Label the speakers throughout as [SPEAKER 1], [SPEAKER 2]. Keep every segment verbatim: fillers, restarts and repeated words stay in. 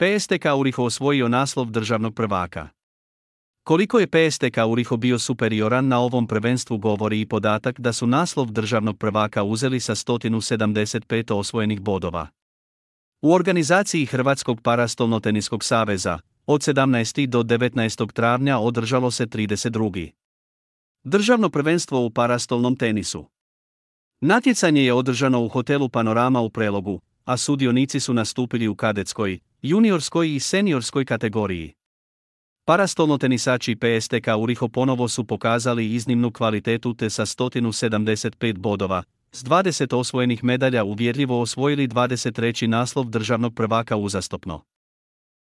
[SPEAKER 1] P S T K Uriho osvojio naslov državnog prvaka. Koliko je P S T K Uriho bio superioran na ovom prvenstvu govori i podatak da su naslov državnog prvaka uzeli sa sto sedamdeset pet osvojenih bodova. U organizaciji Hrvatskog parastolnoteniskog saveza, od sedamnaestog do devetnaestog travnja održalo se trideset drugo. Državno prvenstvo u parastolnom tenisu. Natjecanje je održano u hotelu Panorama u Prelogu, a sudionici su nastupili u kadetskoj, juniorskoj i seniorskoj kategoriji. Parastolnotenisači P S T K Uriho ponovo su pokazali iznimnu kvalitetu te sa sto sedamdeset pet bodova, s dvadeset osvojenih medalja uvjerljivo osvojili dvadeset treći naslov državnog prvaka uzastopno.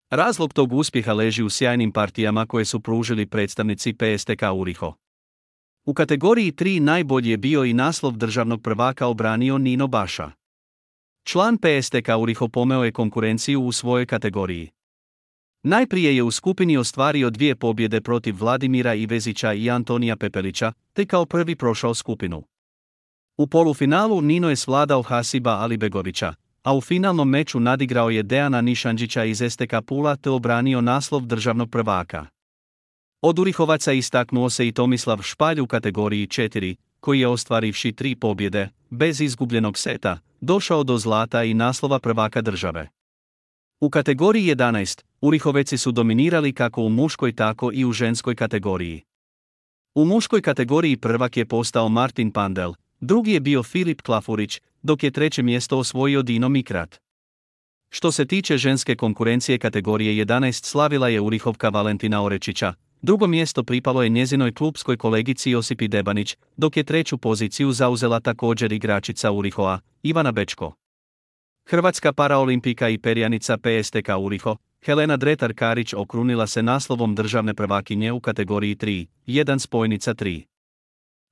[SPEAKER 1] Razlog tog uspjeha leži u sjajnim partijama koje su pružili predstavnici P S T K Uriho. U kategoriji tri najbolji je bio i naslov državnog prvaka obranio Nino Baša. Član P S T K Uriho pomeo je konkurenciju u svojoj kategoriji. Najprije je u skupini ostvario dvije pobjede protiv Vladimira Ivezića i Antonija Pepelića, te kao prvi prošao skupinu. U polufinalu Nino je svladao Hasiba Alibegovića, a u finalnom meču nadigrao je Dejana Nišanđića iz S T K Pula te obranio naslov državnog prvaka. Od Urihovaca istaknuo se i Tomislav Špalj u kategoriji četiri, koji je ostvarivši tri pobjede, bez izgubljenog seta, došao do zlata i naslova prvaka države. U kategoriji jedanaest, Urihoveci su dominirali kako u muškoj tako i u ženskoj kategoriji. U muškoj kategoriji prvak je postao Martin Pandel, drugi je bio Filip Klafurić, dok je treće mjesto osvojio Dino Mikrat. Što se tiče ženske konkurencije kategorije jedanaest slavila je Urihovka Valentina Orečića, drugo mjesto pripalo je njezinoj klupskoj kolegici Josipi Debanić, dok je treću poziciju zauzela također igračica Urihoa, Ivana Bečko. Hrvatska paraolimpijka i perjanica P S T K Uriho, Helena Dretar-Karić okrunila se naslovom državne prvakinje u kategoriji tri, jedan spojnica tri.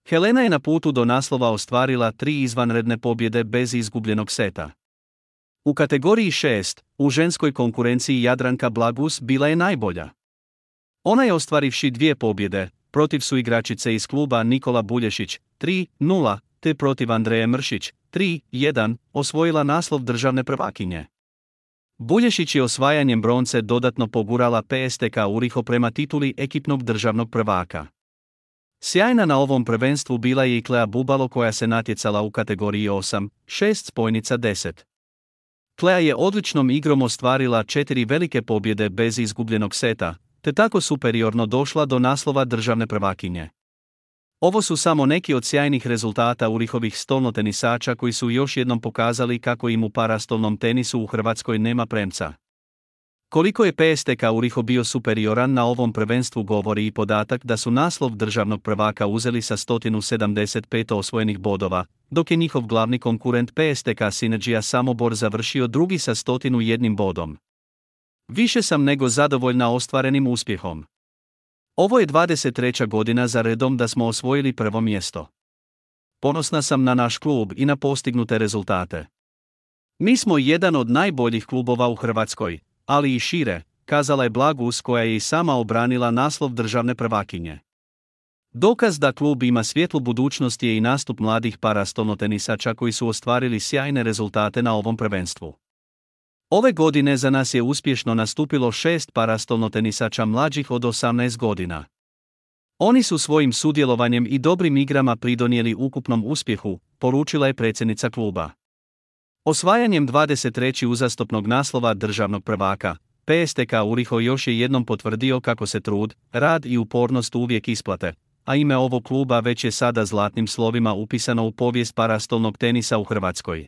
[SPEAKER 1] Helena je na putu do naslova ostvarila tri izvanredne pobjede bez izgubljenog seta. U kategoriji šest, u ženskoj konkurenciji Jadranka Blagus bila je najbolja. Ona je ostvarivši dvije pobjede, protiv su igračice iz kluba Nikola Bulješić, tri nula, te protiv Andreje Mršić, tri jedan, osvojila naslov državne prvakinje. Bulješić je osvajanjem bronce dodatno pogurala P S T K Uriho prema tituli ekipnog državnog prvaka. Sjajna na ovom prvenstvu bila je i Klea Bubalo koja se natjecala u kategoriji osam šest spojnica deset. Klea je odličnom igrom ostvarila četiri velike pobjede bez izgubljenog seta, te tako superiorno došla do naslova državne prvakinje. Ovo su samo neki od sjajnih rezultata Urihovih stolnotenisača koji su još jednom pokazali kako im u parastolnom tenisu u Hrvatskoj nema premca. Koliko je P S T K Uriho bio superioran na ovom prvenstvu govori i podatak da su naslov državnog prvaka uzeli sa sto sedamdeset pet osvojenih bodova, dok je njihov glavni konkurent P S T K Synergia Samobor završio drugi sa sto jedan bodom. Više sam nego zadovoljna ostvarenim uspjehom. Ovo je dvadeset treća godina za redom da smo osvojili prvo mjesto. Ponosna sam na naš klub i na postignute rezultate. Mi smo jedan od najboljih klubova u Hrvatskoj, ali i šire, kazala je Blagus koja je i sama obranila naslov državne prvakinje. Dokaz da klub ima svjetlu budućnost je i nastup mladih parastolnotenisača koji su ostvarili sjajne rezultate na ovom prvenstvu. Ove godine za nas je uspješno nastupilo šest parastolnotenisača mlađih od osamnaest godina. Oni su svojim sudjelovanjem i dobrim igrama pridonijeli ukupnom uspjehu, poručila je predsjednica kluba. Osvajanjem dvadeset trećeg uzastopnog naslova državnog prvaka, P S T K Uriho još je jednom potvrdio kako se trud, rad i upornost uvijek isplate, a ime ovog kluba već je sada zlatnim slovima upisano u povijest parastolnog tenisa u Hrvatskoj.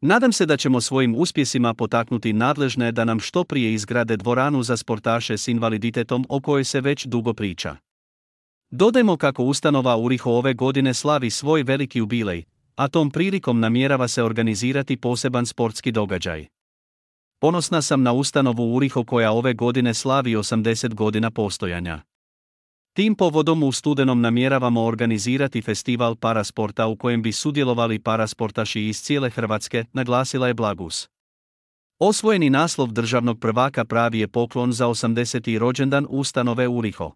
[SPEAKER 1] Nadam se da ćemo svojim uspjesima potaknuti nadležne da nam što prije izgrade dvoranu za sportaše s invaliditetom o kojoj se već dugo priča. Dodajmo kako ustanova Uriho ove godine slavi svoj veliki jubilej, a tom prilikom namjerava se organizirati poseban sportski događaj. Ponosna sam na ustanovu Uriho koja ove godine slavi osamdeset godina postojanja. Tim povodom u studenom namjeravamo organizirati festival parasporta u kojem bi sudjelovali parasportaši iz cijele Hrvatske, naglasila je Blagus. Osvojeni naslov državnog prvaka pravi je poklon za osamdeseti rođendan ustanove Uriho.